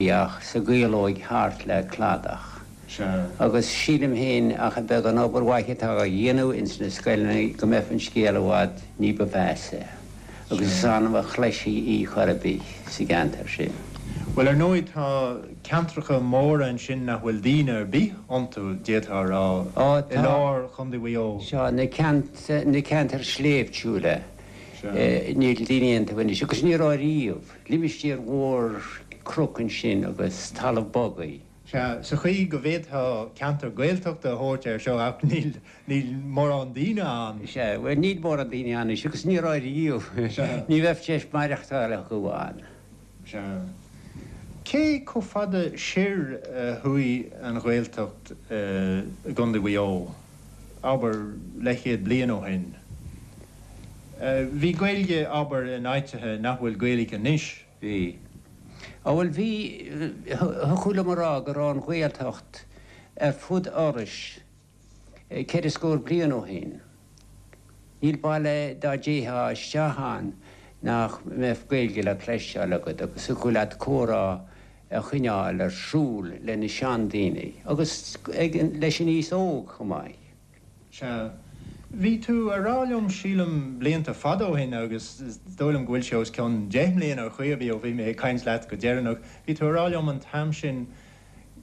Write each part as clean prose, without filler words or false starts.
Ach sa gcaolóig thart le cladach. Agus sílim féin ach an beagán obair mhaith atá á dhéanamh ins na scoileanna go mbeadh an scéal i bhfad ní ba mheasa. Agus is annamh a chloisfí í chor ar bith sa gceantar sin. Bhuel, ar ndóigh tá ceantracha móra ansin nach bhfuil daoine ar bith iontu, d'fhéadfá a rá, i lár Chontae Mhaigh Eo. Sea, na ceantair shléibhtiúla, níl daoine iontu anois, agus ní raibh riamh. Limistéar mhór cnoc ansin agus talamh bogaigh. Sea, sa chaoi go bhféadfá ceantar Gaeltachta a thabhairt air seo ach níl, níl mórán daoine ann. Sea, bhuel níl mórán daoine ann anois agus ní raibh riamh. Sea. Ní bheadh deis maireachtáil acu ann. Sea. Cé chomh fada soir a chuaigh an Ghaeltacht i gContae Mhaigh Eo? abair, leathchéad bliain ó shin. Bhí Gaeilge, abair, in áiteacha nach bhfuil Gaeilge anois. Bhí. Á bhuel bhí, thiocfadh liom a rá go raibh an Ghaeltacht ar fud Iorrais ceithre scór bliain ó shin. Níl baile dá dtéitheá isteach ann nach mbeadh Gaeilge le cloisteáil agat agus thiocfadh leat comhrá a choinneáil ar siúl le na seandaoine agus leis an aos óg chomh maith. Sea. Bhí tú a rá liom, sílim, blianta fada ó shin agus is dóigh liom go bhfuil sé os cionn 10 mbliana ar chaoi ar bith ó bhí mé ag caint leat go deireanach, bhí tú a rá liom an t-am sin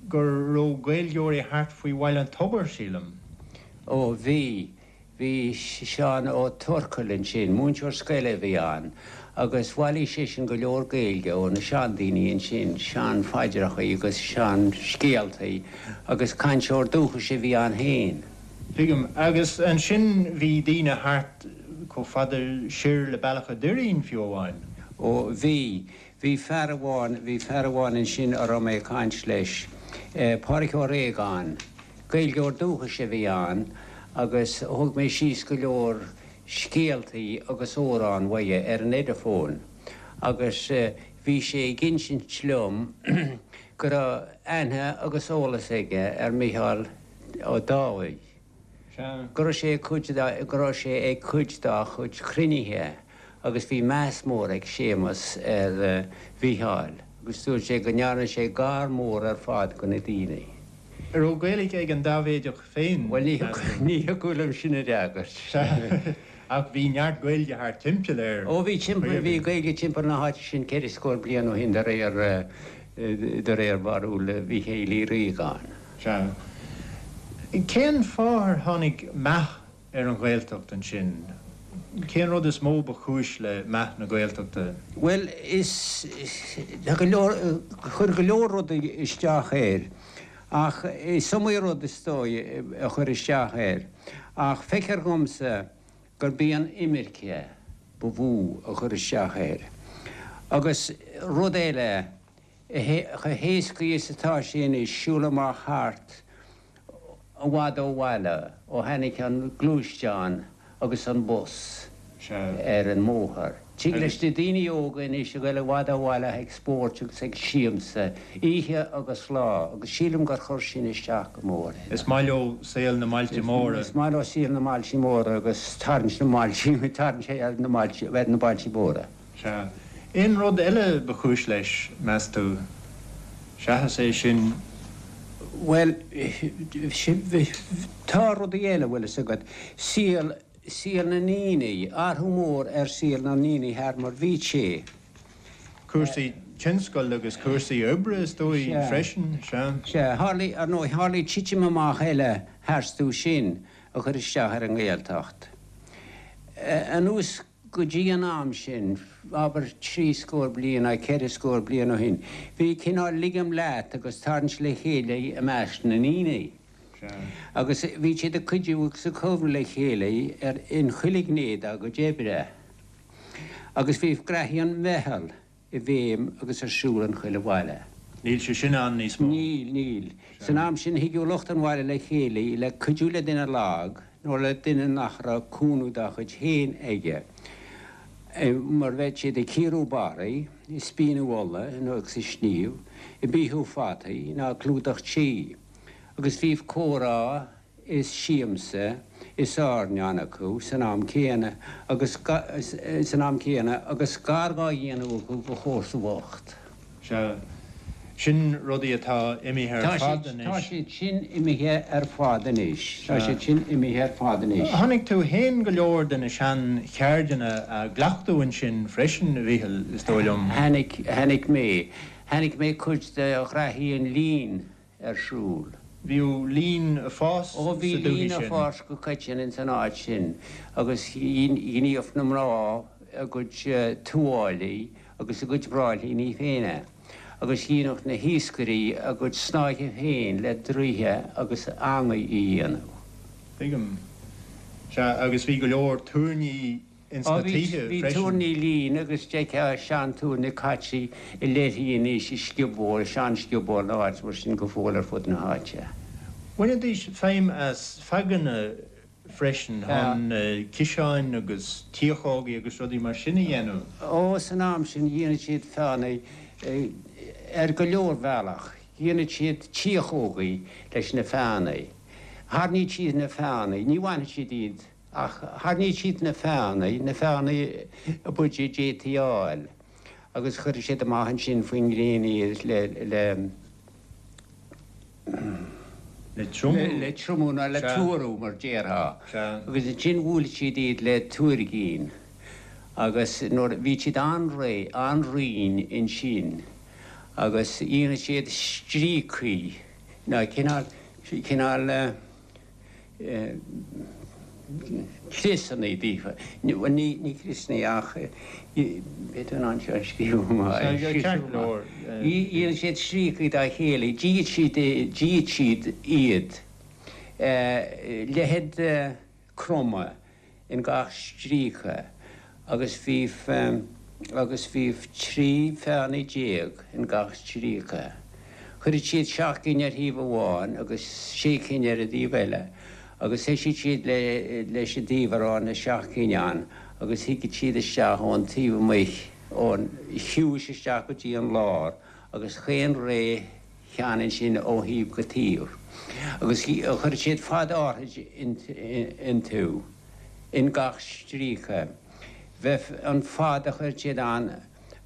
go raibh Gaeilgeoirí thart faoi Bhaile an Tobair, sílim. Ó, bhí. Bhí Seán Ó Tuarcail ansin, múinteoir scoile a bhí ann, agus bhailigh seisean go leor Gaeilge ó na seandaoine ansin, seanphaidreachaí agus seanscéaltaí, agus cainteoir dúchais a bhí ann féin. Tuigim. Agus ansin bhí daoine thart chomh fada siar le Bealach a' Doirín fiú amháin. Ó, bhí. Bhí fear amháin, bhí fear amháin ansin a raibh mé ag caint leis, Pádraic Ó Réagáin. Gaeilgeoir dúchais a bhí ann agus thóg mé síos go leor scéaltaí agus amhrán uaidh ar an Ediphone agus bhí sé ag insint liom go raibh aithne agus eolas aige ar Mhícheál Ó Dálaigh, go raibh sé ag cuid go raibh sé ag cuid dá chuid cruinnithe agus bhí meas mór ag Séamus ar Mhícheál agus dúirt sé go ndearna sé gar mór ar fad go na daoine. An raibh Gaeilge ag an Dáibhéideach féin, Bhuel, ní thiocfadh liom sin a fhreagairt. Sea, ach bhí neart Gaeilge thart timpeall air. Ó, bhí timpeall, bhí Gaeilge timpeall na háite sin ceithre scór bliain ó shin de réir, de réir bharúil Mhíchéil Uí Riagáin. Sea. Cén fáth ar tháinig meath ar an Ghaeltacht ansin? Cén rud is mó ba chúis le meath na Gaeltachta? Bhuel, is, tá go leor, chuir go leor rudaí isteach air ach is iomaí rud is dóigh a chuir isteach air ach feictear dhomsa gurb í an imirce ba mhó a chuir isteach air. Agus rud eile, chomh héascaí is atá sé anois siúl amach thart i bhfad ó bhaile ó tháinig an gluaisteán agus an bus ar an mbóthar. Tig leis na daoine óga anois a ghoil i bhfad ó bhaile ag spóirt agus ag siamsa oíche agus lá agus sílim gur chuir sin isteach go mór air. Is maith leo saol na mbailte móra. Is maith leo saol na mbailte móra agus tarraingt na mbailte, tarraingt ar na mbailte, ar na bailte móra. Sea. Aon rud eile ba chúis leis, meas tú, seachas é sin? Bhuel, tá rudaí eile, bhfuil fhios agat. Saol, saol na ndaoine, athrú mór ar saol na ndaoine thar mar bhí sé. Cúrsaí tionscail agus cúrsaí oibre, is dóigh, freisin, sea. Sea. Tharlaigh, ar ndóigh, tharlaigh titim amach eile tharstu sin a chuir isteach ar an nGaeltacht. Anuas Go dtí an am sin, abair trí scór bliain nó ceithre scór bliain ó shin, bhí cineál ligim leat agus tarraingt le chéile i measc na ndaoine. Agus bhí siad ag cuidiú agus ag cabhrú le chéile ar in chuile ghné dá gcuid oibre. Agus bhí graithí an mheitheal. i bhfeidhm agus ar siúl in chuile bhaile. Níl sé sin ann níos mó. Níl, níl. San am sin thigeadh lucht an bhaile le chéile le cuidiú le duine lag nó le duine nach raibh cúnamh dá chuid féin aige, mar bheadh siad ag cíoradh barraí, ag spíonadh olla nó agus ag sníomh, ag beathú fataí ná ag clúdach tí. Agus bhíodh comhrá is siamsa is airneán acu san am céanna agus san am céanna agus gar dhá dhéanamh acu do chomharsa bhocht. Sea. Sin rudaí atá imithe ar fad anois. Tá siad sin imithe ar fad anois. Tá siad sin imithe ar fad anois. Chonaic tú fhéin go leor de na sean-cheirdeanna á gcleachtadh ansin freisin, a Mhíchil, is dóigh liom. Chonaic, chonaic mé. Chonaic mé cuid de ghraithí an lín ar siúl. Bhíodh lín ag fás sa Ó bhí dúthaigh lín ag sin. fás go coitinn ins an áit sin agus ghníodh na mná a gcuid tuáillí agus a gcuid bráillíní féin agus dheineadh na hiascairí a gcuid snáithe féin le draoithe agus eangaí a dhéanamh. Tuigim. Sea, agus bhí go leor túirní ins Ó na bhí, tithe bhí freisin. túirní lín agus d'fheicfeá sean-túirne caite i leithrí anois i scioból, sean-scioból nó áit mar sin go fóill ar fud na háite. Bhainidís feidhm as feaganna freisin chun ciseáin agus tiachógaí agus rudaí mar sin a dhéanamh. Ó, san am sin dhéanadh siad feánnaí ar go leor bealach. Dhéanadh siad tiachógaí leis na feánnaí. Tharraingíodh siad na feánnaí, ní bhainfeadh siad iad ach tharraingíodh siad na feánnaí, na feánnaí ab fhaide a d'fhéadfaí a fháil agus chuireadh siad amach ansin faoin ngréin iad le, le. Le triomú. Le triomú nó le tuarú mar déarfá. Agus ansin bhuaileadh siad iad le tuairgín agus nuair bhí siad an-réidh, an-righin ansin agus dhéanadh siad stríocaí nó cineál, cineál. criosanna daofa. Bhuel, ní criosanna ach b'fhéidir in ann seo a scríobh amach. Dhéanadh siad stríocaí dá chéile, d'fhíodh siad, d'fhíodh siad iad. Leithead croma. in gach stríoca agus bhí agus bhí 13 feánnaí in gach stríoca. Chuireadh siad seacht gcinn ar thaobh amháin agus sé cinn ar an dtaobh eile agus thoisigh siad le leis an dtaobh a raibh na seacht gcinn ann agus thigeadh siad isteach ón taobh amuigh ón chiumhais isteach go dtí an lár agus chaon ré cheann ansin ó thaobh go taobh agus chuir siad fad áithrid iontu in gach stríoca. Bheadh an fad a chuir siad ann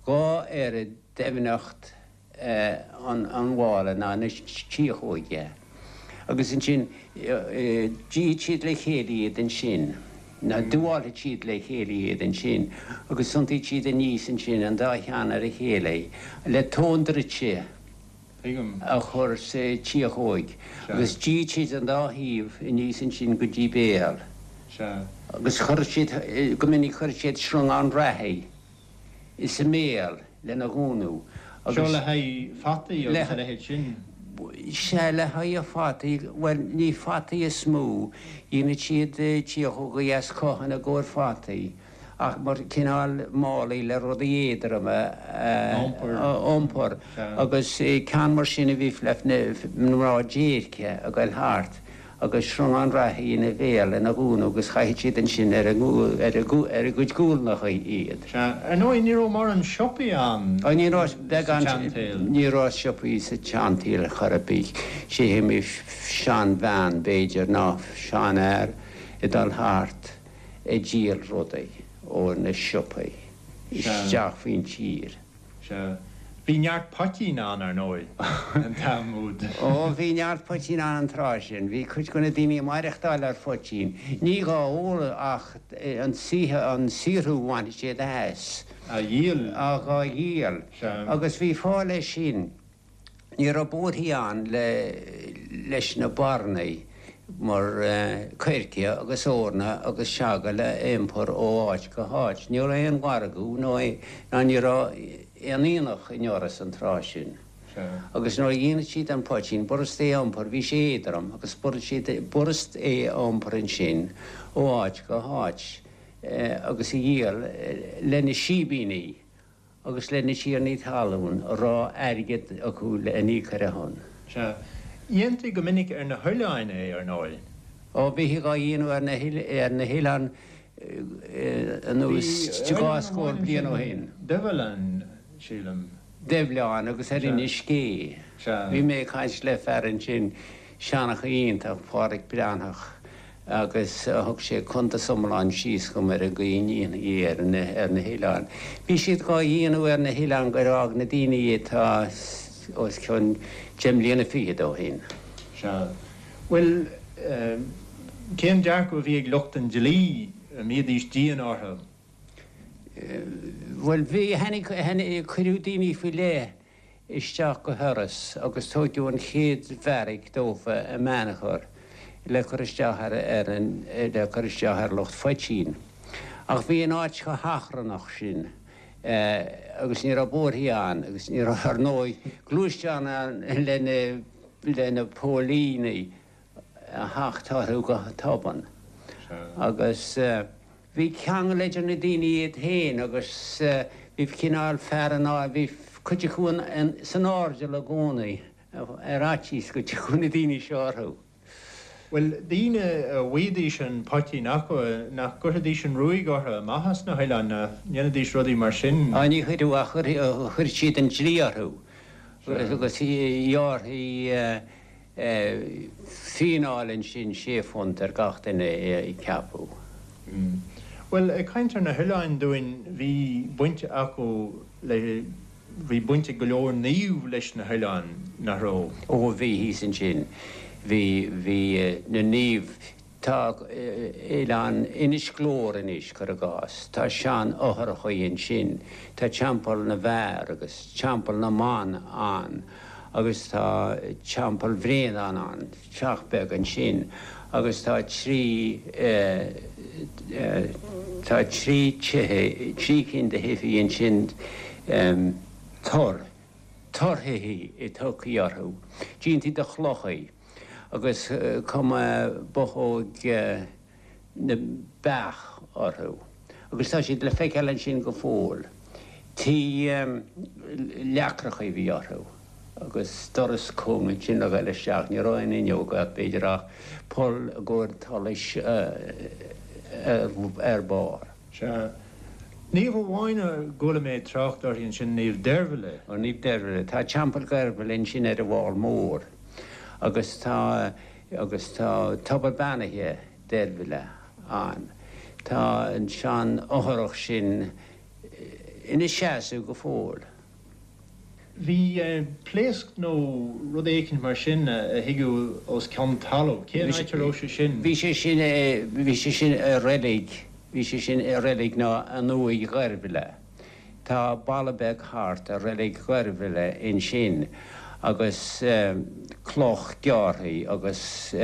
dhá oiread doimhneacht an mhála ná na tiachóige. Agus ansin d'fhíodh siad le chéile iad ansin, nó d'fhuáilfeadh siad le chéile iad ansin agus thiontaíodh siad aníos ansin an dá cheann ar a chéile le tóin druidte a chur sa tiachóig agus d'fhíodh siad an dá thaobh aníos ansin go dtí béal agus chuir siad, go minic chuir siad sreangán reathaí. sa mbéal lena dhúnadh agus. Seo le haghaidh fataí agus a leithéid sin? Sea, le haghaidh fataí, bhuel, ní fataí is mó, dhéanadh siad tiachógaí as cothán i gcomhair fataí, ach mar cineál málaí le rudaí éadroma a iompar agus ceann mar sin a bhí le mná déirce ag goil thart. agus sreangán reathaí ina bhéal lena dhúnadh agus chaitheadh siad ansin ar a gcuid guailneacha iad. Sea, ar ndóigh ní raibh mórán siopaí ann Ó ní raibh, sa beagán, tseansaol. ní raibh siopaí sa tseansaol ar chor ar bith. Is iomaí seanbhean, b'fhéidir, nó seanfhear ag dul thart ag díol rudaí ó na siopaí isteach faoin tír. Sea. Bhí neart poitín ann, ar ndóigh, an t-am úd. Ó, bhí neart poitín ann an tráth sin. Bhí cuid de na daoine ag maireachtáil ar phoitín. Ní dhá ól ach an saothar, an saothrú a bhainfeadh siad as. Á dhíol. Á dhíol. Sea. Agus bhí fáth leis sin. Ní raibh bóithrí ann leis na barnaí mar coirce agus eorna agus seagal a iompar ó áit go háit. Ní raibh aon mhargadh nó ná ní raibh aon aonach i nIorras an tráth sin. Agus nuair a dhéanadh siad an poitín, b'fhurast é a iompar, bhí sé éadrom agus b'fhurast é a iompar ansin ó áit go háit agus a dhíol le na síbíní. agus le na tiarnaí talún a raibh airgead acu le n-íoc ar a shon. Sea. Dhéantaí go minic ar na hoileáin é, ar ndóigh. Ó, bhítí dhá dhéanamh ar na ar na hoileáin anuas dhá scór bliain ó shin. Duibh-Oileán, sílim. Duibh-Oileán agus ar Inis Gé. Sea. Bhí mé ag caint le fear ansin, seanchaí iontach, Pádraig Breathnach, agus thug sé cuntas iomlán síos dhom ar an gcaoi a ndéanfaí é ar na hoileáin. Bhí siad dhá dhéanamh ar na hoileáin gur fhág na daoine atá. os cionn deich mbliana fichead ó shin. Sea. Bhuel, cén dearcadh a bhí ag lucht an dlí, an mbídís dian orthu? Bhuel, bhí, tháinig, tháinig, cuireadh daoine faoi leith isteach go hIorras agus tóigeadh an chéad bheairic dófa i mBeannchar le cur isteach ar ar an le cur isteach ar lucht phoitín. Ach bhí an áit chomh hachrannach sin agus ní raibh bóithrí ann agus ní raibh ar ndóigh gluaisteáin ann le na le na póilíní a theacht orthu go tobann. Agus bhí ceangal idir na daoine iad féin agus bhí cineál fear an bhí cuid acu san airdeall i gcónaí ar fhaitíos go dtiocfadh na daoine seo orthu. Bhuel, daoine a bhfaighidís an poitín acu, nach gcuirfidís an ruaig orthu amach as na hoileáin, nach ndéanfaidís rudaí mar sin? Á, ní chuireadh ach chuir siad an dlí orthu agus ghearrfaí fíneáil ansin sé phunt ar gach duine a ceapadh. Bhuel, ag caint ar na hoileáin dúinn, bhí baint acu le, bhí baint ag go leor naomh leis na hoileáin, nach raibh? Ó bhí, thíos ansin. Bhí, bhí na naoimh, tá oileán Inis Gluaire anois, cuir i gcás, tá sean-fhothrachaí ansin, tá Teampall na bhFear agus Teampall na mBan ann agus tá Teampall Bhréandáin ann, teach beag ansin agus tá trí, tá trí tithe, trí cinn de thithe ansin, tor, torthithe a tugtaí orthu, déanta de chlochaí. agus cuma bothóg na mbeach orthu agus tá siad le feiceáil ansin go fóill. Tithe leacracha a bhí orthu agus doras cúng ansin le ghoil isteach. Ní raibh aon fhuinneog ach b'fhéidir ach poll i gcomhair solais ar barr. Sea. Naomh amháin a gcuala mé trácht uirthi ansin, Naomh Deirbhile. Ó, Naomh Deirbhile. Tá Teampall Dheirbhile ansin ar an bhFál Mór agus tá, agus tá tobar beannaithe Deirbhile ann. Tá an sean-fhothrach sin ina seasamh go fóill. Bhí pléasc nó rud éicint mar sin a thigeadh os cionn talaimh. Cén áit a raibh sé sin? Bhí sé sin, bhí sé sin i reilig, bhí sé sin i reilig nó in uaigh Dheirbhile. Tá balla beag thart ar reilig Dheirbhile ansin agus cloch gearrtha agus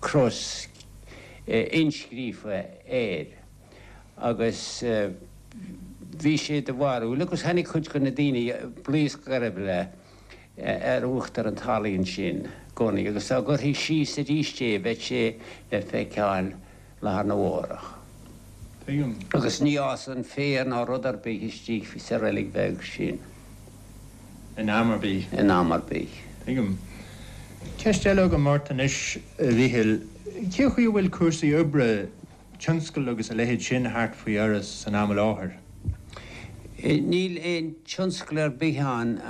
cros inscríofa air. Agus bhí sé de bharúil, agus tháinig cuid de na daoine, blaosc Dheirbhile ar uachtar an talaimh ansin i gcónaí, agus dá gcuirfí síos arís é bheadh sé le feiceáil lá arna mhárach. Tuigim. Agus ní fhásann féar ná rud ar bith istigh sa reilig bheag sin. In am ar bith. In am ar bith. Tuigim. Ceist eile agam ort anois, a Mhíchíl. Cé chaoi a bhfuil cúrsaí oibre tionscal agus a leithéid sin thart faoi Iorras san am i láthair? Níl aon tionscal ar bith ann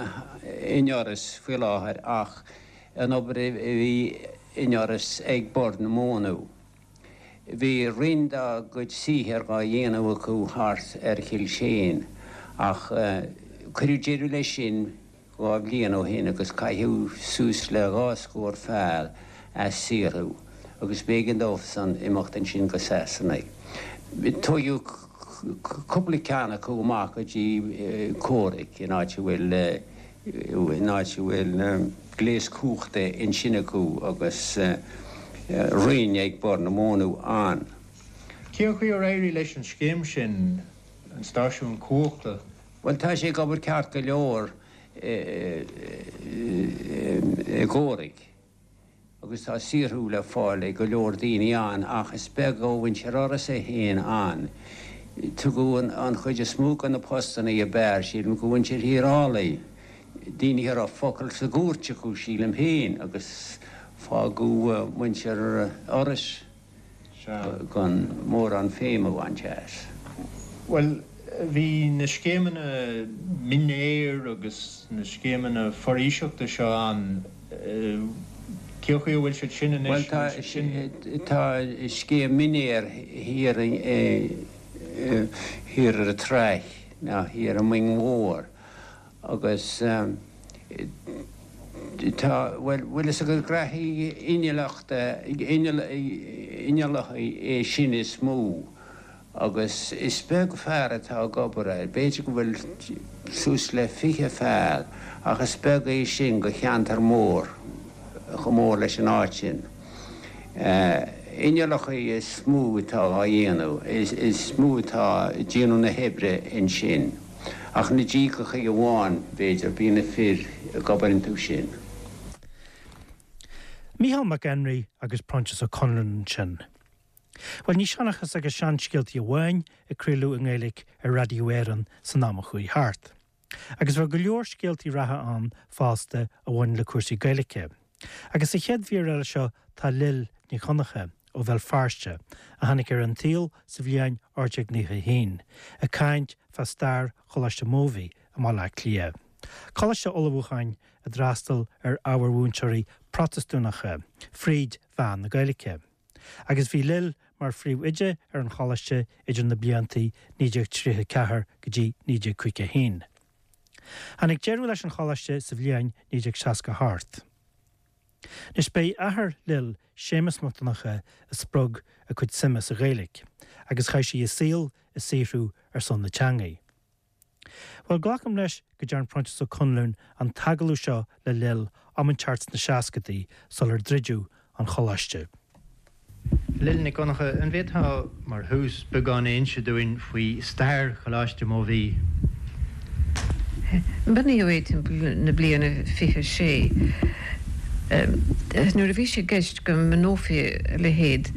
in Iorras faoi láthair ach an obair a bhí in Iorras ag Bord na Móna. Bhí roinnt dá gcuid saothair dhá dhéanamh acu thart ar Chill Seáin ach cuireadh deireadh leis sin 2 bhliain ó shin agus caitheadh suas le 2 scór fear as saothrú agus b'éigean dóibhsan imeacht ansin go Sasana. Tóigeadh cúpla ceann acu amach go dtí Comhrac in áit a bhfuil in áit a bhfuil gléas cumhachta ansin acu agus roinn ag Bord na Móna ann. Cén chaoi ar éirigh leis an scéim sin, an stáisiún cumhachta? Bhuel, tá sé ag obair ceart go leor i gComhrac agus tá saothrú le fáil ag go leor daoine ann ach is beag ó mhuintir Iorrais é féin ann. Tugadh an chuid is mó de na postanna ab fhearr, sílim, go mhuintir Thír Álaí, daoine a raibh focal sa gcúirt acu, sílim féin, agus fágadh muintir Iorrais. gan mórán feidhm a bhaint as. Bhuel, bhí na scéimeanna mionfhéir agus na scéimeanna foraoiseachta seo ann. Cén chaoi a bhfuil siad sin anois? Bhuel, tá scéim mionfhéir thiar thiar ar an tráigh, nó thiar i Moing Mhór, agus. Tá, bhuel, bhfuil fhios agat graithí innealachta, inneallacha é sin is mó agus is beag fear atá ag obair air, b'fhéidir go bhfuil suas le 20 fear ach is beag é sin go cheantar mór, chomh mór leis an áit sin. Inneallacha is mó atá á dhéanamh, is mó atá ag déanamh na hoibre ansin. Ach na díogachaí amháin, b'fhéidir, bíonn na fir ag obair iontu sin. Mícheál Mac Enrí agus Proinsias Ó Conluain ansin. Bhuel, ní seanchas agus seanscéaltaí amháin a craoladh i nGaeilge ar Raidió Éireann san am a chuaigh thart. Agus bheadh go leor scéaltaí reatha ann fosta a bhain le cúrsaí Gaeilge. Agus sa chéad mhír eile seo tá Lil Nic Dhonncha ó Bhéal Feirste, a tháinig ar an tsaol sa bhliain 1891, ag caint fá stair Choláiste Mobhí i mBaile Átha Cliath. Coláiste ullmhúcháin a d'fhreastail ar ábhair mhúinteoirí Protastúnacha fríd mheán na Gaeilge. Agus bhí Lil mar phríomhoide ar an choláiste idir na bliantaí 1934 go dtí 1951. Tháinig deireadh leis an choláiste sa bhliain 1968. Anois b'é athair Lil, Séamus Mac Donncha, a spreag a cuid suime sa Ghaeilge agus chaith sí a saol ag saothrú ar son na teangaidh. Bhuel, glacaim leis go dtearn Proinsias Ó Conluain an t-agallamh seo le Lil am inteacht sna seascadaí sular druideadh an choláiste. Lil Nic Dhonncha, an bhféadfá, mar thús, beagán a inse dúinn faoi stair Choláiste Mobhí? Bunaíodh é timpeall na bliana 26. Nuair a bhí sé i gceist go mbunófaí a leithéid,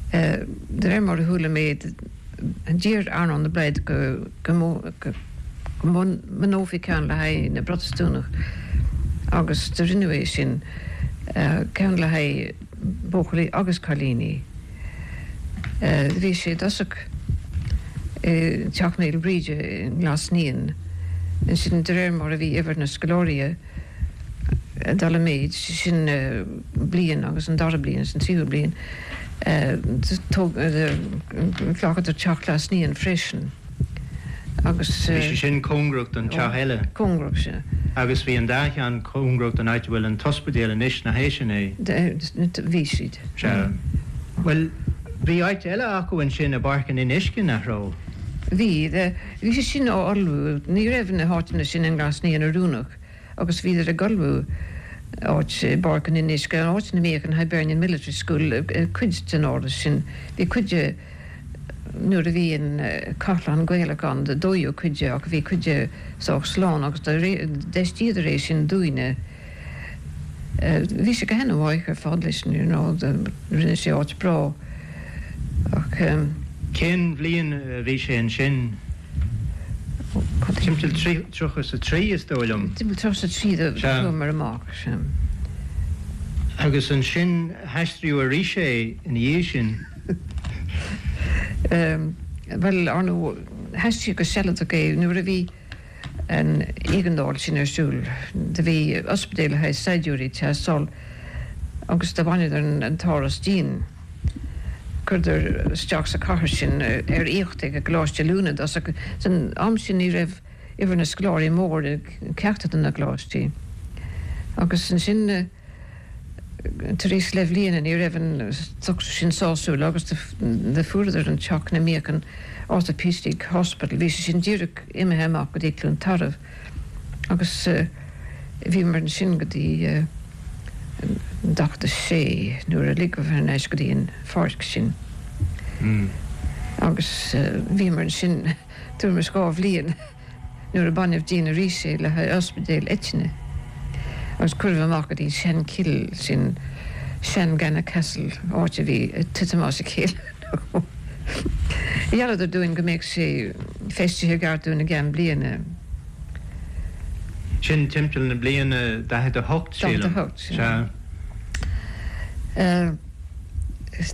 de réir mar a chuala mé, D'iarr Earnán de Blaghd go mbunófaí ceann le haghaidh na bProtastúnach agus do rinneadh é sin, ceann le haghaidh buachaillí agus cailíní. Bhí sé i dtosach i dTeach Naomh Bríde i nGlas Naíon. Ansin de réir mar a bhí uimhir na scoláirí ag dul i méid, sin bliain agus an dara bliain agus an tríú bliain, Ghlacadar teach Ghlas Naíon freisin agus. Bhí sé sin cóngarach don teach eile. Cóngarach, sea. Agus bhí an dá cheann cóngarach don áit a bhfuil an t-ospidéal anois, nach é sin é? Bhí siad. Sea. Bhuel, bhí áit eile acu ansin i bPáirc an Fhionnuisce, nach raibh? Bhí. Bhí sé sin á ullmhú. Ní raibh na háiteanna sin i nGlas Naíon oiriúnach. agus bhíodar ag ullmhú áit i bPáirc an Fhionnuisce, an áit ina mbíodh an Hibernian Military School, cuid den áras sin. Bhí cuid de, nuair a bhí an Cathlán Gaelach ann, dódh cuid de ach bhí cuid de sách slán agus d'fheistíodar é sin dúinne. Bhí sé go han-mhaith ar fad leis, you know, rinne sé áit breá ach. Cén bhliain a bhí sé ansin? Timpeall 33 is dóigh liom. Timpeall 33 do chuamar amach, sea. Agus ansin haistríodh arís é ina dhiaidh sin. Bhuel, ar ndóigh, haistríodh go sealadach é nuair a bhí an éigeandáil sin ar siúl. Do bhí ospidéal le haghaidh saighdiúirí ag teastáil agus do bhaineadar an t-áras dínn. Chuireadar isteach sa chathair sinn ar aíocht ag an gColáiste Oiliúna i dtosach. San am sin ní raibh uimhir na scoláirí mór i gceachtar de na coláistí. Agus ansin tar éis leathbhliana ní raibh an socrú sin sásúil agus do fuaireadar an teach ina mbíodh an Orthopaedic Hospital. Bhí sé sin díreach imithe amach go dtí Cluain Tarbh. Agus bhíomar ansin go dtí 46 nuair a ligeadh thar n-ais go dtí an pháirc sinn. Agus bhíomar ansin tuairim is 2 bhliain nuair a baineadh dínn arís é le haghaidh ospidéal eitinne. Agus cuireadh amach go dtí an seanchill sin, sean-Gannagh Castle, áit a bhí ag titim as a chéile. Ghealladar dúinn go mbeadh sé feistithe i gceart dúinn i gceann bliana. Sin timpeall na bliana 48, sílim. 48, sea.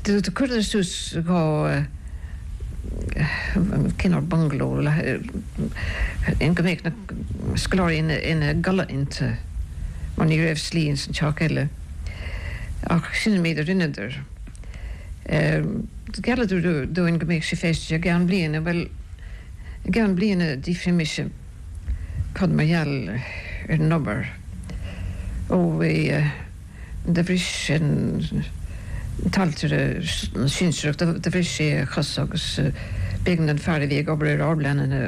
Do chuireadar suas 2 cineál bungaló le go mbeadh na scoláirí ina gcodladh iontu mar ní raibh slí ins an teach eile. Ach sin an méid a rinneadar. Ghealladar dúinn go mbeadh sé feistithe i gceann bliana. Bhuel, i gceann bliana d'fhiafraigh mise cad mar gheall ar an obair. Ó bhí, do bhris an t-ailtire sinsearach, do bhris sé a chos agus b'éigean don fear a bhí ag obair ar ár bpleananna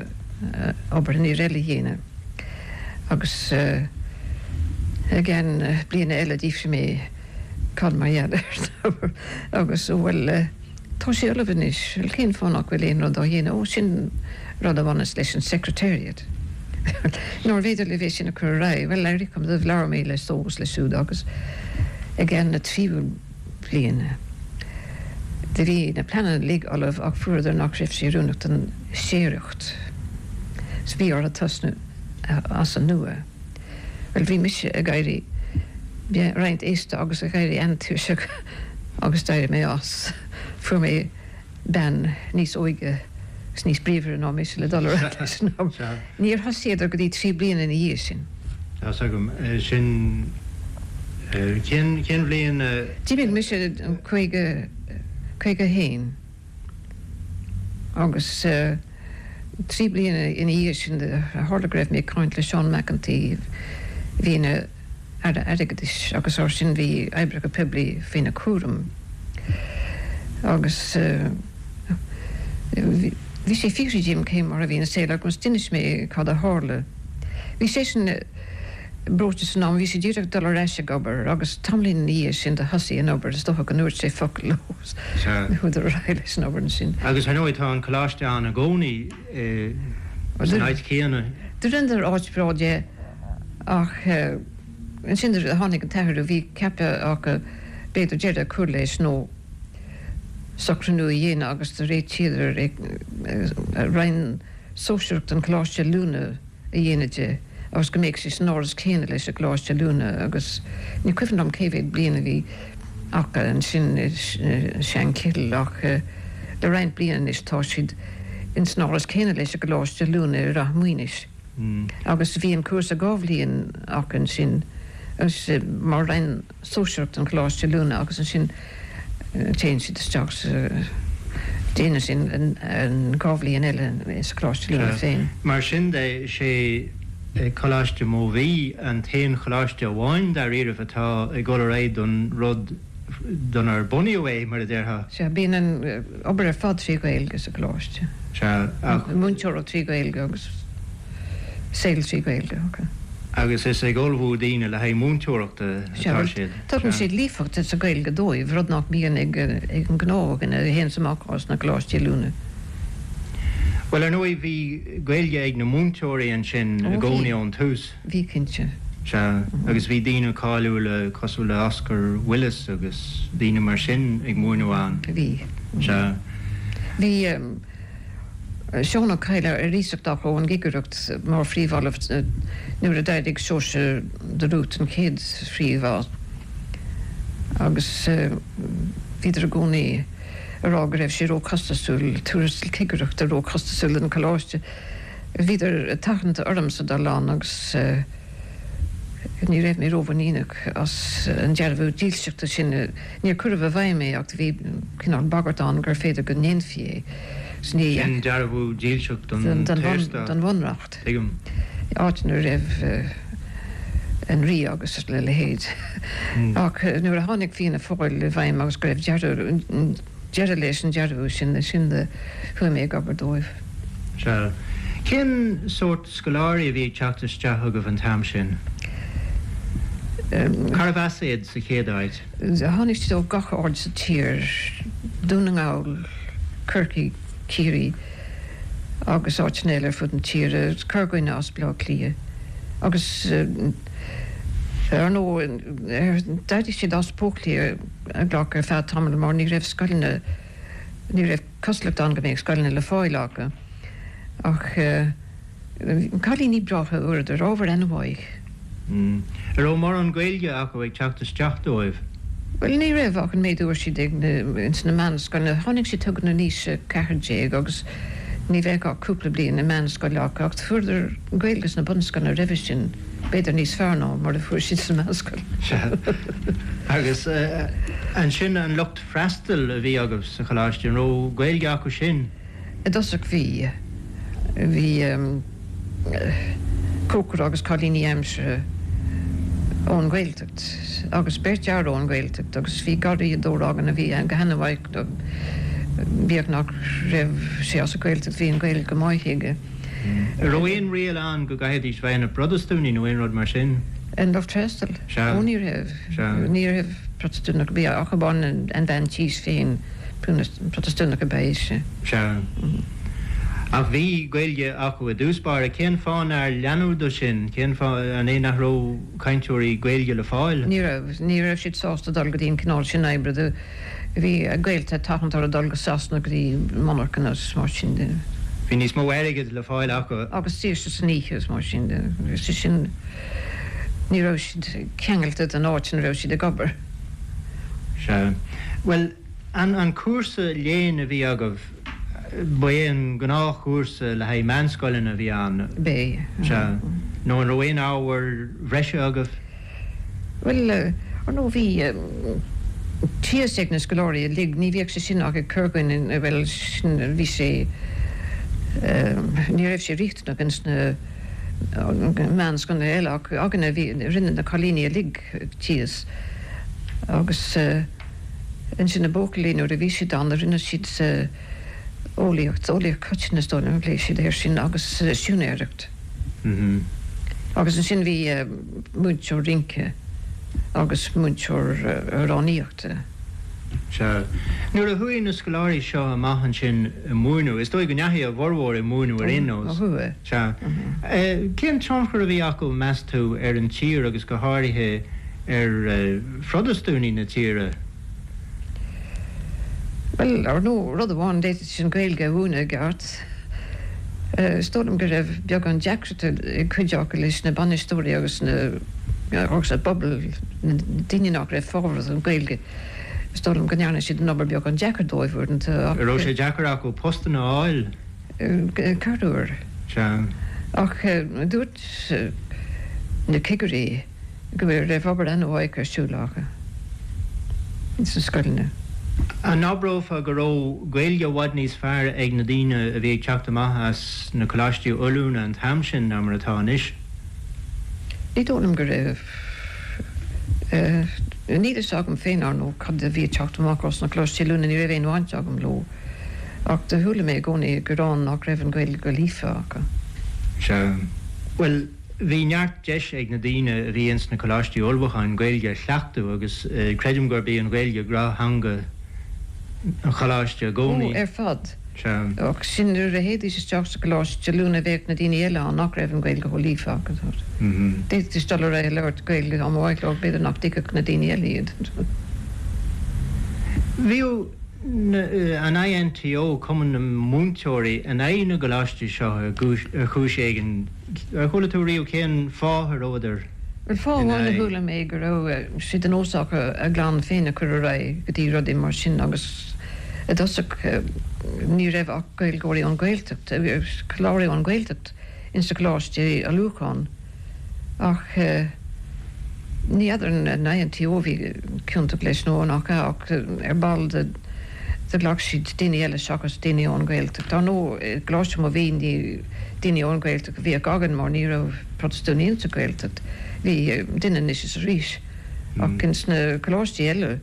obair an fhir eile a dhéanamh. Agus i gceann bliana eile d'fhiafraigh mé cad mar gheall air agus bhuel, Tá sé ullamh anois. Bhuel, cén fáth nach bhfuil aon rud á dhéanamh? Ó, sin rud a bhaineas leis an Secretariat. Nárbh fhéidir libh é sin a chur ar aghaidh? Bhuel, éirí cuma domh, labhair mé le só agus le siúd agus i gceann na tríú bliana do bhí na pleananna uilig ullamh ach fuaireadar nach raibh sé oiriúnach don séaracht. So bhí orthu tosnú as an nua. Bhuel, bhí mise ag éirí roinnt aosta agus ag éirí an-tuirseach agus d'éirigh mé as. Fuair mé bean níos óige agus níos bríomhaire ná mise le dul ar aghaidh leis an obair. Níor thosaíodar go dtí 3 bliana ina dhiaidh sin. Tá 's agam. Sin, cén, cén bhliain a. D'imigh mise in 50, 51. Agus 3 bliana ina dhiaidh sin, tharla go raibh mé ag caint le Seán McEntee, a bhí ina Aire Airgeadais, agus mar sin bhí oibreacha poiblí faoina chúram. Agus bhí sé ag fiafraí díom cé mar a bhí an saol agus d'inis mé cad a tharla. Bhí seisean. breoite san am, bhí sé díreach dul ar ais ag obair agus tamaillín ina dhiaidh sin do thosaigh an obair, is dócha go ndúirt sé focal leo is chuadar ar aghaidh leis an obair ansin. Agus ar ndóigh tá an coláiste ann i gcónaí san áit chéanna. Do rinneadar áit bhreá de ach ansin do tháinig an t-athrú, bhí ceaptha acu b'fhéidir deireadh a chur leis nó socrú nua a dhéanamh agus do réitíodar roinn sóisearach den Choláiste Oiliúna. a dhéanamh de agus go mbeadh sé san áras céanna leis an gColáiste Oiliúna agus ní cuimhin liom cé mhéad bliain a bhí acu ansin i Seanchill ach le roinnt bliana anois tá siad ins an áras céanna leis an gColáiste Oiliúna i Rath Maoinis agus bhí an cúrsa 2 bhliain acu ansin agus mar roinn sóisearach den Choláiste Oiliúna agus ansin téann siad isteach sa, déanann siad an 2 bhliain eile sa Choláiste Oiliúna féin. Mar sin de, sé Coláiste Mobhí an t-aon choláiste amháin dáiríribh atá ag dul ar aghaidh don rud donar bunaíodh é, mar a déarfá. Sea, bíonn an obair ar fad trí Ghaeilge sa choláiste. Sea, ach. Múinteoireacht trí Ghaeilge agus. saol trí Ghaeilge acu. Agus is ag ullmhú daoine le haghaidh múinteoireachta atá siad. Tugann siad líofacht sa Ghaeilge dóibh, rud nach mbíonn ag an ngnáthdhuine a théanns amach as na coláistí oiliúna. Bhuel, ar ndóigh, bhí Gaeilge ag na múinteoirí ansin i gcónaí ón tús. Bhí, cinnte. Sea, agus bhí daoine cáiliúla cosúil le Oscar Willis agus daoine mar sin ag múineadh ann. Bhí. Sea. Bhí. Seán Ó Cadhla ar iasacht acu ón gCigireacht mar phríomh-ollamh nuair a d'éirigh Seoirse de Rút an chéad phríomh agus bhíodar i gcónaí ag rá go raibh sé ró-chostasúil, tuarastal cigireachta ró-chostasúil don choláiste. Bhíodar ag tathant ormsa dul ann agus ní raibh mé rómhuiníneach as an dearbhú dílseachta sin. Níor cuireadh i bhfeidhm é ach bhí cineál bagairt ann gur féidir go ndéanfaí é. Sin dearbhú dílseacht don tSaorstát. Don Bhunreacht. Tuigim. Áit ina raibh an Rí agus a leithéid. Ach nuair a tháinig Fianna Fáil i bhfeidhm agus go raibh deireadh leis an dearbhú sin, ansin do chuaigh mé ag obair dóibh. Sea. Cén sórt scoláirí a bhí ag teacht isteach chugaibh an t-am sin? Cárbh as iad sa chéad áit? Tháinig siad ó gach aird sa tír, Dún na nGall, Corcaigh, Ciarraí agus áiteanna eile ar fud na tíre, corrdhuine as Baile Átha Cliath agus ar ndóigh d'éirigh siad as Póclia a ghlacadh ar feadh tamaill mar ní raibh scoileanna, ní raibh cosúlacht ann go mbeadh scoileanna le fáil acu ach Cailíní breátha a fuaireadar, ábhar an-mhaith. An raibh mórán Gaeilge acu ag teacht isteach dóibh? Bhuel, ní raibh ach an méid a fuair siad ag na, ins na meánscoileanna. Tháinig siad chugainn in aois a 14 agus ní bheadh ach cúpla bliain i meánscoil acu ach fuaireadar Gaeilge sna bunscoileanna roimhe sin, b'fhéidir níos fearr ná mar a fuair siad sa mheánscoil. Sea. Agus ansin an lucht freastail a bhí agaibh sa choláiste, an raibh Gaeilge acu sin? I dtosach bhí. Bhí cócaire agus cailíní aimsire. ón Ghaeltacht agus beirt fhear ón Ghaeltacht agus bhí garraíodóir againn a bhí go han-mhaith, bíodh nach raibh sé as an Ghaeltacht bhí an Ghaeilge go maith aige. An raibh aon riail ann go gcaithfidís bheith ina bProtastúnaigh nó aon rud mar sin? An lucht freastail? Sea. Ó ní raibh. Sea. Ní raibh Protastúnach ar bith ach amháin an bhean tís féin. Protastúnach ab ea ise. Sea. Ach bhí Gaeilge acu i dtús báire. Cén fáth nár leanadh de sin? Cén fáth, an é nach raibh cainteoirí Gaeilge le fáil? Ní raibh. Ní raibh siad sásta dul go dtí an cineál sin oibre. Do bhí a gaolta ag tathant orthu dul go Sasana go dtí monarchana agus mar sin de. Bhí níos mó airgid le fáil acu. Agus saoirse san oíche agus mar sin de. Agus sin, ní raibh siad ceangailte den áit ina raibh siad ag obair. Sea. Bhuel, an an cúrsa léinn a bhí agaibh, ba é an gnáthchúrsa le haghaidh meánscoileanna a bhí ann? B'é. Sea. Nó an raibh aon ábhair bhreise agaibh? Bhuel, ar ndóigh bhí tíos ag na scoláirí uilig, ní bhíodh sé sin ach ag corrdhuine, bhuel, sin, bhí sé, ní raibh sé riachtanach ins na meánscoileanna eile ach againne bhí, rinne na cailíní uilig tíos agus ansin na buachaillí nuair a bhí siad ann rinne siad eolaíocht, eolaíocht choiteann is dóigh liom a phléigh siad air sin agus siúinéireacht. Agus ansin bhí múinteoir rince agus múinteoir amhránaíochta. Sea. Nuair a chuaigh na scoláirí seo amach ansin ag múineadh, is dóigh go ndeachaigh a bhformhór ag múineadh ar aon nós. Ó chuaigh. Sea. Cén tionchar a bhí acu, meas tú, ar an tír agus go háirithe ar Phrotastúnaigh na tíre? Bhuel, ar ndóigh, rud amháin, d'fhéadfaidís an Ghaeilge a mhúineadh i gceart. Is dóigh liom go raibh beagán deacrachta ag cuid acu leis na bainisteoirí agus na agus an pobal, na daoine nach raibh fábharach don Ghaeilge. Is dóigh liom go ndearna siad an obair beagán deacair dóibh uaireanta ach. An raibh sé deacair acu postanna a fháil? Corruair. Sea. Ach dúirt na cigirí go raibh obair an-mhaith ar siúl acu sna scoileanna. An abrófá go raibh Gaeilge i bhfad níos fearr ag na daoine a bhí ag teacht amach as na coláistí oiliúna an t-am sin ná mar atá anois? Ní dóigh liom go raibh. Níl a fhios agam féin, ar ndóigh, cad a bhí ag teacht amach as na coláistí oiliúna, ní raibh aon bhaint agam leo. Ach do chuala mé i gcónaí gearán nach raibh an Ghaeilge go líofa acu. Sea. Bhuel, bhí neart deis ag na daoine a bhí ins na coláistí ullmhúcháin Gaeilge a chleachtadh agus creidim gurb í an Ghaeilge gnáth-theanga an choláiste i gcónaí. Ó, ar fad. Sea. Ach sin, nuair a théidís isteach sa gcoláiste oiliúna bheadh na daoine eile ann nach raibh an Ghaeilge chomh líofa acu. D'fhéadfaidís dul ar aghaidh ag labhairt Gaeilge dá mba mhaith leo, b'fhéidir nach dtuigfeadh na daoine eile iad. Bhíodh an INTO, Cumann na Múinteoirí, in aghaidh na gcoláistí seo ar chúis éigin. Ar chuala tú riamh cén fáth a rabhadar Bhuel, fáth in amháin a aghaidh? chuala mé go raibh sé de nós acu a gclann féin a chur ar aghaidh go dtí rudaí mar sin agus i dtosach ní raibh ach Gaeilgeoirí ón Ghaeltacht, scoláirí ón Ghaeltacht ins na coláistí ullmhúcháin ach ní fheadar an INTO a bhí ciontach leis nó nach ea ach ar ball do ghlac siad daoine eile seachas daoine ón Ghaeltacht. Ar ndóigh i gColáiste Mobhí ní daoine ón Ghaeltacht a bhíodh againn mar ní raibh Protastúnaigh insa Ghaeltacht. Bhí duine anois is arís ach ins na coláistí eile,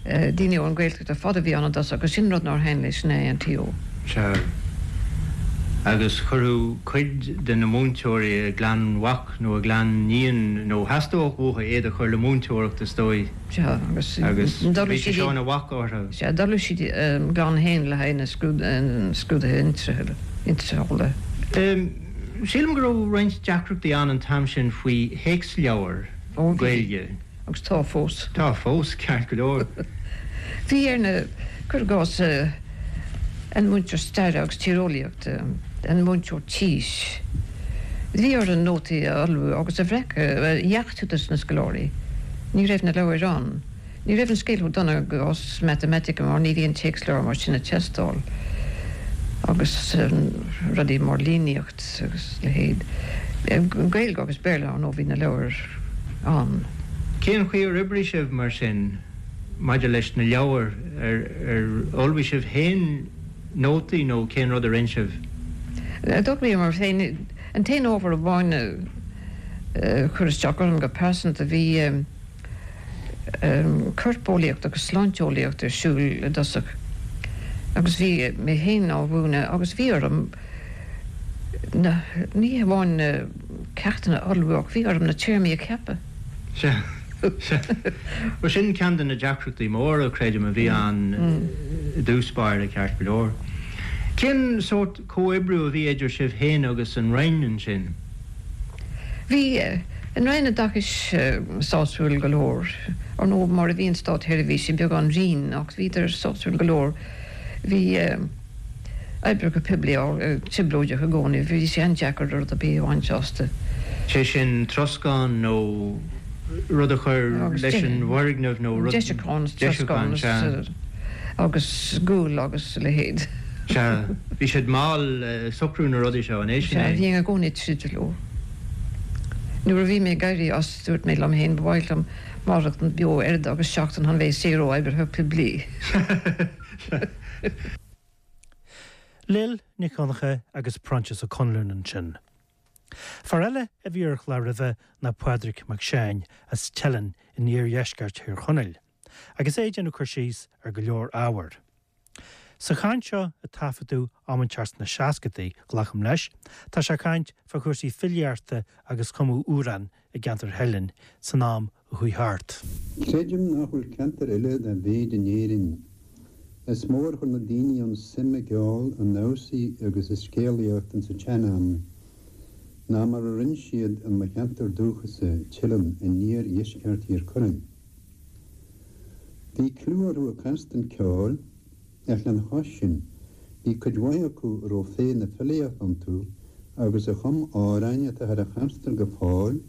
Daoine ón Ghaeltacht ar fad a bhí ann i dtosach agus sin rud nár thaitin leis an INTO. Sea. Agus chuirfeadh cuid de na múinteoirí a gclann mhac nó a gclann iníon, nó theastódh uathu iad a chur le múinteoireacht is dóigh. Sea, agus Agus bhí sé seo ina bhac orthu. Sea, d'ullmhaigh siad a gclann féin le haghaidh na scrúduithe iontrála. Sílim go raibh roinnt deacrachtaí ann an t-am sin faoi théacsleabhair Ó, bhí. Gaeilge. Agus tá fós. Tá fós, ceart go leor. Bhí ar na, cuir i gcás, an múinteoir staire agus tíreolaíochta, an múinteoir tís, bhí orthu nótaí a ullmhú agus a bhreacadh, a dheachtú dos na scoláirí. Ní raibh na leabhair ann. Ní raibh an scéal chomh dona i gcás matamaitice mar ní bhíonn téacsleabhar mar sin ag teastáil agus rudaí mar líníocht. agus a leithéid. Gaeilge agus Béarla, ar ndóigh, bhí na leabhair ann. Cén chaoi ar oibrigh sibh mar sin maidir leis na leabhair? Ar ullmhaigh sibh féin nótaí nó cén rud a rinne sibh? D'ullmhaíomar féin. An t-aon ábhar amháin. chuir isteach orm go pearsanta, bhí corpeolaíocht agus sláinteolaíocht ar siúl i dtosach agus bhí mé féin á mhúineadh agus bhí orm na, ní hamháin na ceachtanna a ullmhú ach bhí orm na téarmaí a cheapadh. Sea, sea. Bhuel, sin ceann de na deacrachtaí móra, creidim, a bhí ann i dtús báire, ceart go leor. Cén sórt comhoibriú a bhí idir sibh féin agus an Roinn ansin? Bhí an Roinn Oideachais sásúil go leor. Ar ndóigh, mar a bhíonn státsheirbhísigh, beagán righin, ach bhíodar sásúil go leor. Bhí oibreacha poiblí trioblóideach i gcónaí, bhí sé an-deacair rud ar bith a bhaint astu. Sé sin, troscán nó rud a chur leis an bhfoirgneamh nó rud. Deisiúchán, troscán agus gual agus a leithéid. Sea, bhí siad mall ag socrú na rudaí seo, an é sin é? Sea, bhínn i gcónaí ag troid leo. Nuair a bhí mé ag éirí as, dúirt mé liom féin, ba mhaith liom maireachtaint beo oiread agus seachtain chun bheith saor ó oibrithe poiblí. Lil Nic Dhonncha agus Proinsias Ó Conluain ansin. Fear eile a bhí ar an chlár roimhe ná Pádraig Mac Seáin as Teileann in iardheisceart Thír Chonaill, agus é ag déanamh cur síos ar go leor ábhar. Sa chaint seo, a taifeadadh am inteacht sna seascadaí, glacaim leis, tá sé ag caint fá chúrsaí filíochta agus cumadh amhrán i gceantar Theileann san am a chuaigh thart. Creidim nach bhfuil ceantar eile dá mhéid in Éirinn is mó ar chuir na daoine ann suim i gceol, i ndamhsaí agus i scéalaíocht insa tsean-am ná mar a rinn siad in mo cheantar dúchasa, Teileann, in iar-dheisceart Thír Chonaill. Bhí clú orthu ag canstan ceoil, ach lena chois sin, bhí cuid mhaith acu a raibh féith na filíochta iontu agus a chum amhráin atáthar a chanstan go fóill,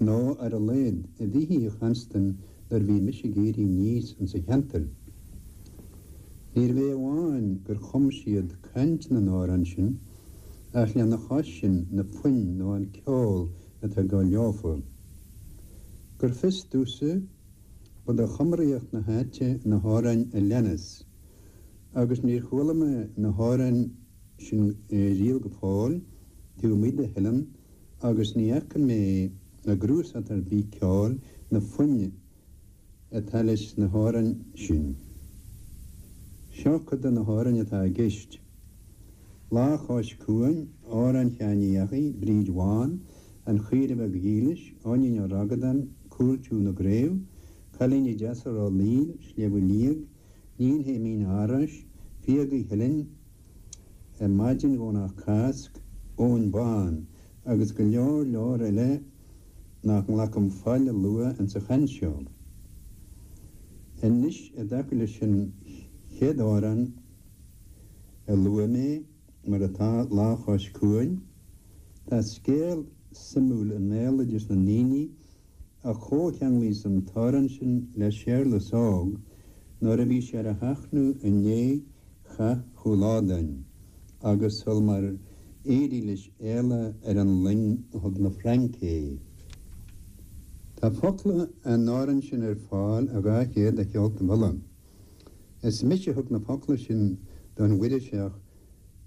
nó ar a laghad a bhíthí a chanstan nuair a bhí mise ag éirí aníos insa cheantar. Níorbh é amháin gur chum siad caint na n-amhrán sin, ach lena chois sin na foinn nó an ceol atá ag dul leofa. Gur fios domhsa, ba de chumraíocht na háite na hamhráin a leanas, agus níor chuala mé na hamhráin sin riamh go fóill taobh amuigh de Theileann agus ní fhaca mé i gcnuasach ar bith ceoil na foinn atá leis na hamhráin sin. Seo cuid de na hamhráin atá i gceist. Lá Chois Cuain, Amhrán Sheáin Uí Eachaidh, Bríd Bhán, An Chaoire Bheag Dhílis, Eoinín Ó Ragadáin, Cúl Tiúin na gCraobh, Cailíní Deasa Ráth Líl, Sliabh Liag, Níon Shéimín Árais, Fiagaí Theilinn, Maidin Dhomhnach Cásc, Eoin Bán, agus go leor leor eile nach nglacaim faill a lua insa chaint seo. Anois i dtaca leis an chéad amhrán a luaigh mé, mar atá, Lá Chois Cuain, tá scéal suimiúil i mbéaloideas na ndaoine a chomhcheanglaíos an t-amhrán sin le Séarlas Óg nuair a bhí sé ar a sheachnadh i ndiaidh Chath Chúil Ádáin agus sul mar éirigh leis éalú ar an loing a thug na Frainc é. Tá focla an amhráin sin ar fáil i 200 de Cheoltaibh Uladh. Is mise a thug na focla sin don Mhuiriseach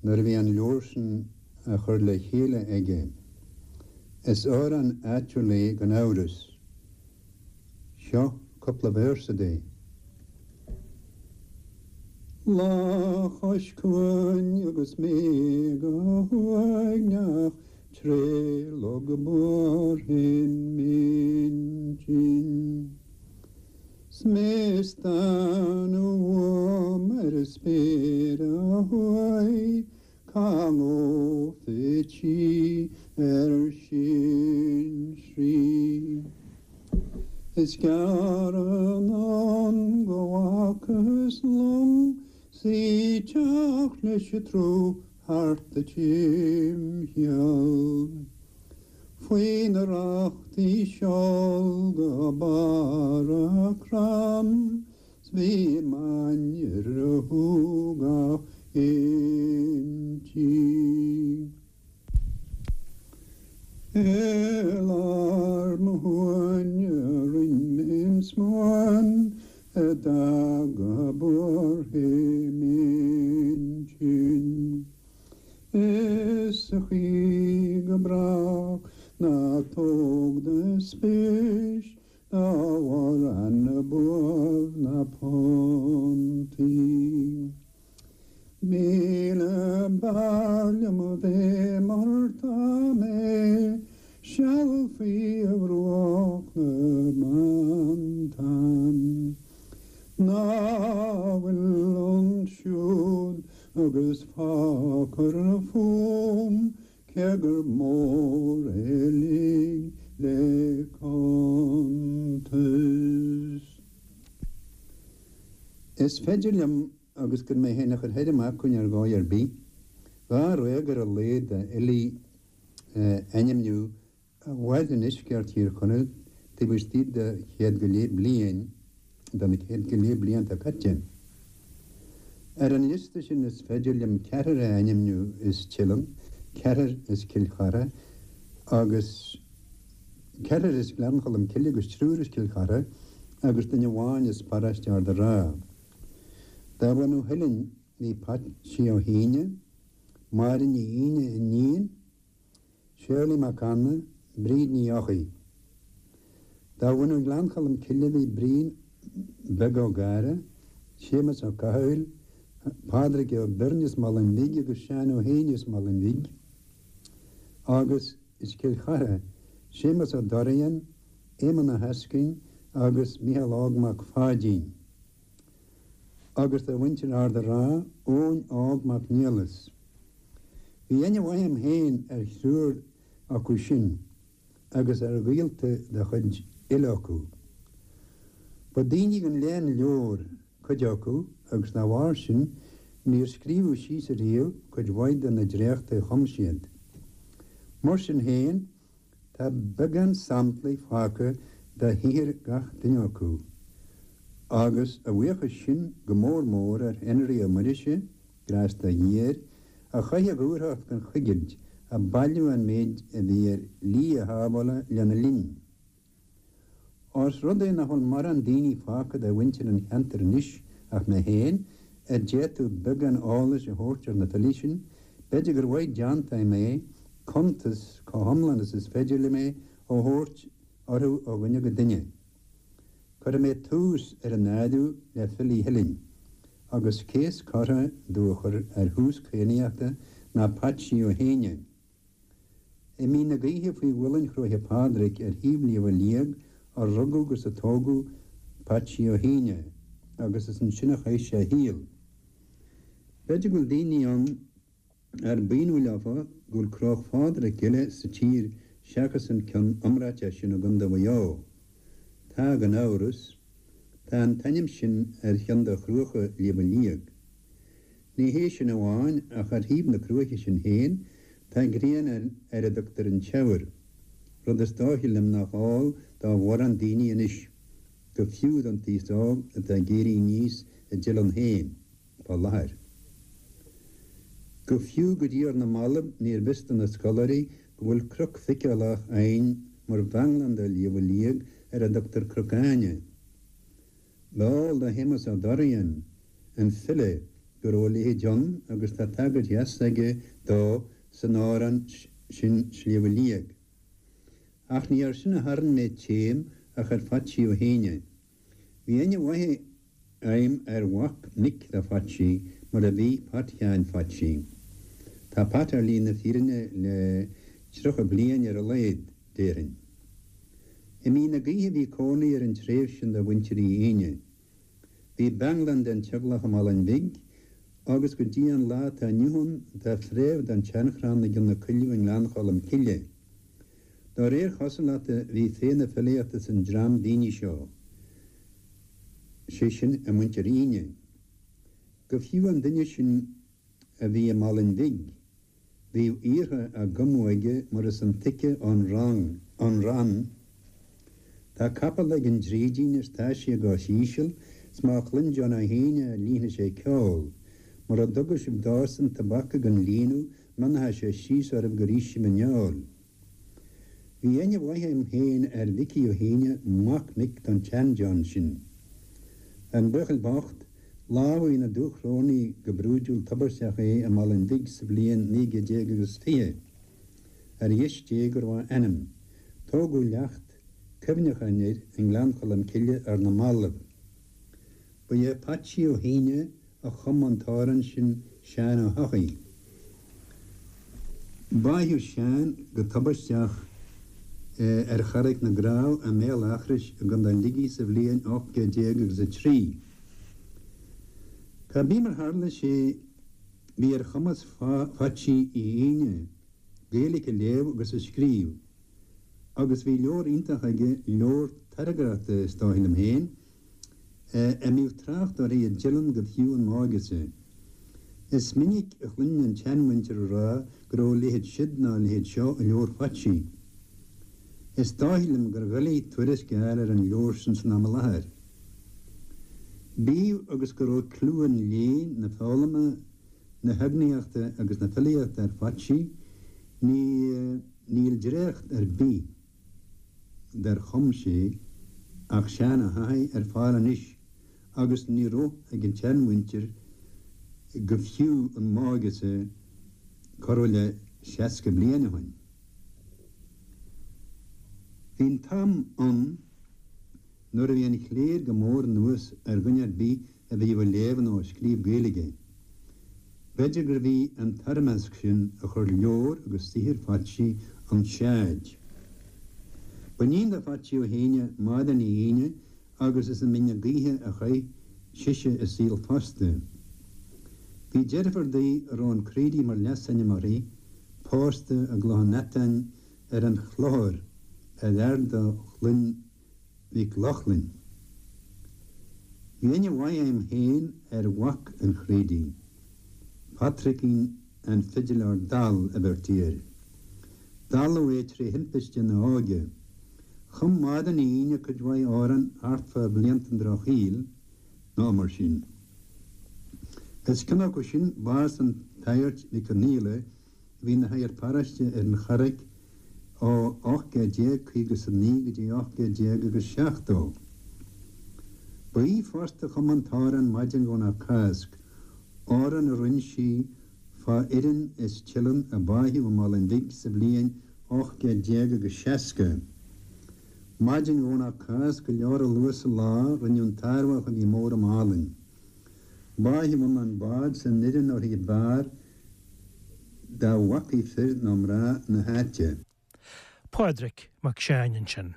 nuair a bhí an leabhar sin á chur le chéile aige. Is amhrán áitiúil é gan amhras. Seo cúpla véarsa de. Lá chois cuain agus mé go huaigneach tré log buartha m'intinn. 'S mé ag stánadh uaim ar an spéir ó thuaidh, cá ngabhfad sí ar sinsearaí. Is gearr anonn go bhfacthas long 's í ag teacht leis an tsruth thart a timcheall. Faoi na rachtaí seol go barr a crann 's bhí m'ainnir a shúgach inti. I lár mo shuaine rinn mé an smuan a d'fhág buartha m'intinn. Is sa chaoi go brách Ná tóg do spéis dá bharr na buaibh na pontí. 1000 b'fhearr liom a bheith mar tá mé, seal faoi bhruach na mBeanntan. Ná fuil ansiúd agus fágfar fúm cé gur mór é uilig le cuntas. Is féidir liom agus gan mé féin a chur thoir amach ar dhóigh ar bith, dháréag ar a laghad d'fhilí a ainmniú a mhair i ndeisceart Thír Chonaill taobh istigh de chéad go leith bliain, de na céad go leith blianta caite. Ar an liosta sin is féidir liom ceathrar a ainmniú as Teileann, ceathrar as Cill Chartha agus ceathrar as Gleann Cholm Cille agus triúr as Cill Chartha agus duine amháin as paróiste Ard a' Rátha. De bhunadh Theilinn bhí Patsí Ó hAoine, Máire Ní Aoine, iníon, Séarlaí Mac Anna, Bríd Ní Eochaidh. De bhunadh Ghleann Cholm Cille bhí Brian Beag Ó Gadhra, Séamus Ó Cathaoil, Pádraig Ó Beirn as Malainn Bhig agus Seán Ó hÉanaí as Malainn Bhig, agus as Cill Chartha, Séamus Ó Dorrian, Éamonn Ó hEascainn agus Mícheál Óg Mac Pháidín. Agus de mhuintir Ard a' Rátha, Eoin Óg Mac Niallais. Bhí aithne mhaith a'm féin ar thriúr acu sin agus ar ghaolta de chuid uile acu. Ba daoine den léann leabhar cuid acu agus dá bharr sin níor scríobhadh síos ariamh cuid mhaith de na dréachtaí a chum siad. Mar sin féin, Tá beagán samplaí fágtha de shaothar gach duine acu, agus a bhuíochas sin go mór mór ar Henry Ó Muirise, grásta a Dhia air, a chaith a dhúthracht gan choigilt ag bailiú an méid a bhí ar shlí a shábhála lena linn. Ós rud é nach bhfuil morán daoine fágtha de mhuintir an cheantair anois ach mé féin, a d'fhéadfadh beagán eolais a thabhairt ar na filí sin, b'fhéidir gur mhaith déanta a'm é cuntas, chomh hiomlán is is féidir liom é, a thabhairt orthu ó dhuine go duine. Cuirfidh mé tús ar an áireamh le filí Theilinn, agus cé is córa domh a chur ar thús cadhnaíochta ná Patsí Ó hÉanaí. I Mín na Gaoithe faoi mhuileann Chróiche Phádraig ar thaobh Shliabh Liag a rugadh agus a tógadh Patsí Ó hAoine agus is ansin a chaith sé a shaol. B'fhéidir go bhfuil daoine ann ar b'ionadh leofa go bhfuil Cróch Phádraig eile sa tír seachas an ceann iomráiteach sin i gContae Mhaigh Eo. Tá, gan amhras. Tá an t-ainm sin ar cheann de chruacha Shliabh Liag. Ní hé sin amháin, ach ar thaobh na cruaiche sin féin, tá grianán ar a dtugtar an Teamhair, rud is dóiche liom nach eol do mhórán daoine anois, go fiú don t-aos óg atá ag éirí aníos i dTeileann féin, fá láthair. Go fiú go dtí ar na mallaibh níorbh fhios do na scoláirí go bhfuil cnoc feiceálach againn mar bheanglán de Shliabh Liag ar a dtugtar Cnoc Áine. B'eol do Shéamus Ó Dorrian, an file, go raibh a leithéid ann agus tá tagairt dheas aige dó san amhrán sin Sliabh Liag. Ach ní air sin a tharraing mé téim ach ar Phatsí Ó hÉanaí. Bhí aithne mhaith a'm ar mhac mic do Phatsí mar a bhí Pat Sheáin Phatsí. Tá Pat ar shlí na fírinne le 30 bliain ar a laghad, déarfainn. I Mín na Gaoithe a bhí cónaí ar an treibh sin de mhuintir Uí Aoine. Bhí beanglann den teaglach i Malainn Bhig agus go dtí an lá atá inniu ann tá fréamh den tseanchrann i gCionn na Coilleadh i nGleann Cholm Cille. Dá réir chosúlachta bhí féith na filíochta san dream daoine seo, sé sin i muintir Aoine. Go fiú an duine sin a bhí i Malainn Bhig, Bhíodh aortha á gcumadh aige mar is intuigthe ón rann, Tá capall ag an drídín is tá sé i gcois íseal, 's má chluin John Ó hAoine é líonfaidh sé ceol. Mura dtuga sibh dósan tobac gan líonadh, mionóidh sé síos oraibh gur ith sibh an fheoil. Bhí aithne mhaith a'm féin ar Mhicí Ó hAoine, mac mic don tsean-John sin. An buachaill bocht, lámhaigh na Dúchrónaigh go brúidiúil tubaisteach é i Malainn Bhig sa bhliain 19 déag agus 20. Ar dheis Dé go raibh a anam. Tógadh leacht cuimhneacháin air i nGleann Cholm Cille ar na mallaibh. Ba é Patsí Ó hAoine a chum an t-amhrán sin Seán Ó hEochaidh. Báitheadh Seán go tubaisteach ar Charraig na gCreamh i mBéal Eachrois i gContae Shligigh sa bhliain 18 agus 3. Cá bith mar tharla sé bhí ar chumas Phatsí Uí Aoine Gaeilge a léamh agus a scríobh agus bhí leabhar iontach aige, leabhar tairngreachta is dóigh liom féin, a mbíodh trácht uirthi i dTeileann go fiú an mháigheasa. Is minic a chluininn an tseanmhuintir ag rá go raibh a leithéid siud ná a leithéid seo i leabhar Phatsí. Is dóigh liom gur dhoiligh tuairisc a fháil ar an leabhar sin san am i láthair. Bíodh agus go raibh clú an léinn, na foghlama, na heagnaíochta agus na filíochta ar Phatsí, ní níl dréacht ar bith dar chum sé ach Seán Ó hEochaidh ar fáil anois agus ní raibh ag an tseanmhuintir go fiú an máigheasa corradh le 60 bliain ó shin. Bhí an t-am ann nuair a bhí an chléir go mór anuas ar dhuine ar bith a bhíodh ag léamh nó ag scríobh Gaeilge. B'fhéidir gurbh í an toirmeasc sin a chuir leabhar agus saothar Phatsí 'on tseaid. Ba iníon do Phatsí Ó hAoine Máire Ní Aoine agus is i mBinn na Gaoithe a chaith sise a saol fosta. Bhí deirfiúr di a raibh an Craoraí mar leasainm uirthi, pósta i gCloich an Fheatáin ar an Chlochar ar fhear de chlann Mhic Lochlainn. Bhí aithne mhaith agam féin ar mhac an Chraoraigh, Patrickín an Fidiléir Dall a bheirtí air. Dalladh é tré thimpiste ina óige. Chum Máire Ní Aoine cuid mhaith amhrán thart fá bhlianta an Drochshaoil, nó mar sin. Is ceann acu sin bás an tSagairt Mhic Conghail, a bhí ina shagart paróiste ar an Charraic ó 1859 go dtí 1870. Ba í fosta a chum an t-amhrán Maidin Dhomhnach Cásc, amhrán a rinne sí fá fhoireann as Teileann a báitheadh i Málainn Bhig sa bhliain 1860. Maidin Dhomhnach Cásc go leor luath sa lá rinneadh an t-árthach a bhí mór i Málainn. Báitheadh ann an bád 's an fhoireann uirthi b'fhearr dá bhfacaí fir nó mná na háite. Pádraic Mac Seáin ansin.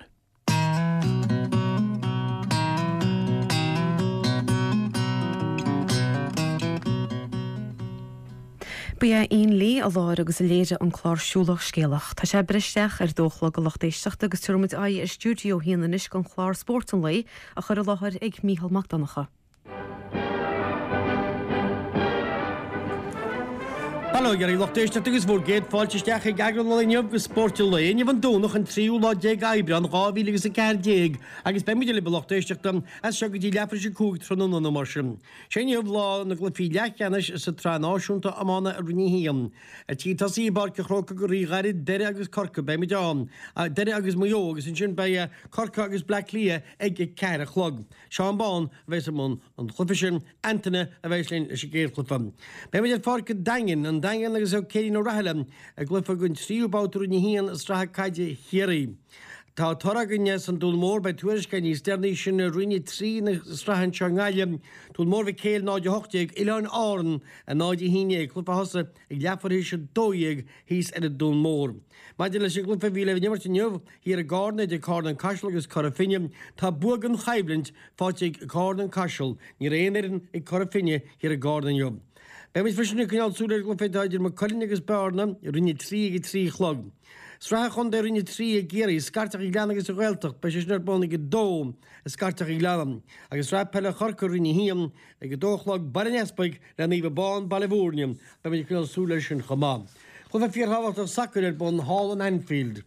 Ba é Ian Lee a láithrigh agus a léirigh an clár Siúlach Scéalach. Tá sé ag breith isteach ar a dó a chlog a lucht éisteachta agus tabharfaidh muid aghaidh ar Stiúideo a hAon anois don chlár Spórt an Lae á chur i láthair ag Mícheál Mac Donncha. Bail ó Dhia oraibh lucht éisteachta agus bhur gcéad fáilte isteach ag eagrán an lae inniu de Spórt an Lae. Inniu an Domhnach an tríú lá déag Aibreán 2000 agus 14 agus beidh muid libh a lucht éisteachta as seo go dtí leathuair tar éis a 5 tráthnóna nó mar sin. Sé inniu lá na gcluichí leathcheannais sa tSraith Náisiúnta Iomána i Roinn 1. Ar tí tosaí i bPáirc an Chrócaigh go rí-ghairid, Doire agus Corcaigh, beidh muid ann, Doire agus Maigh Eo agus ansin beidh Corcaigh agus Bleá Cliath ag a ceathair a chlog. Seán Bán a bheas i mbun an chluiche sin, Antaine a bheas linn leis an gcéad chluiche. Beidh muid ar pháirc an Daingin, an Daingean agus Ó Céirín Ó Rathaille i gcluiche den tríú babhta Roinn 1 i Sraith Caide Chiarraí. Tá toradh againn as an Dún Mór, beidh tuairisc againn níos deireanaí sin i Roinn 3 na sraithe anseo i nGaillimh, Dún Mór Mhic Éil 0-18, Oileáin Árann 0-11, cluiche a thosaigh ag leathuair théis 12 thíos ar an Dún Mór. Maidir leis an gcluiche a bhí le n-imirt inniu, Thiar i gCarna, idir Carna An Caiseal agus Cora Finne, tá bua gan choimhlint faighte ag Carna An Caiseal. Ní raibh aon fhoireann ag Cora Finne thiar i gCarna inniu. Beidh muid freisin ag coinneáil súil ar an gcluiche atá idir Maigh Cuilinn agus Bearna i Roinn 3 ag a 3 a chlog. Sraith an Chontae Roinn 3 i gCiarraí, Scairteach an Ghleanna agus an Ghaeltacht, beidh sé sin ar bun ag a 2 i Scairteach an Ghleanna. Agus Sraith Peile Chorcaí Roinn 1 ag a 2 a chlog, Baile an Easpaig le Naomh Abán, Baile Bhúirne. Beidh muid ag coinneáil súil air sin chomh maith. Cluiche fíorthábhachtach sacair ar bun thall in Anfield.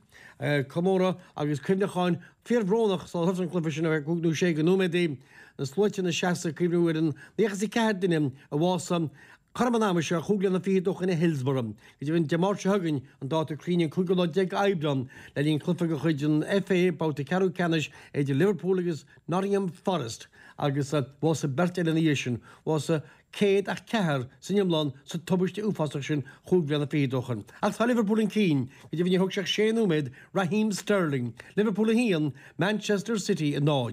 Comóradh agus cuimhneacháin fíorbhrónach sular thosaigh an cluiche sin ar feadh cúig nó sé de nóiméadaí. Na sluaite ina seasamh ag cuimhniú ar an 94 duine a bhásaigh. Cothrom an ama seo, chúig bliana fichead ó shoin i Hillsborough. Go deimhin, Dé Máirt seo chugainn, an dáta cruinn an cúigiú lá déag Aibreán, le linn cluiche de chuid an FA, babhta ceathrú ceannais idir Liverpool agus Nottingham Forest, agus bhásaigh beirt eile ina dhiaidh sin. Bhásaigh céad ach ceathrar san iomlán sa tubaiste uafásach sin chúig bhliana fichead ó shoin. Ach tá Liverpool chun cinn, go deimhin níor thóg sé ach sé nóiméad, Raheem Sterling, Liverpool 1, Manchester City 0.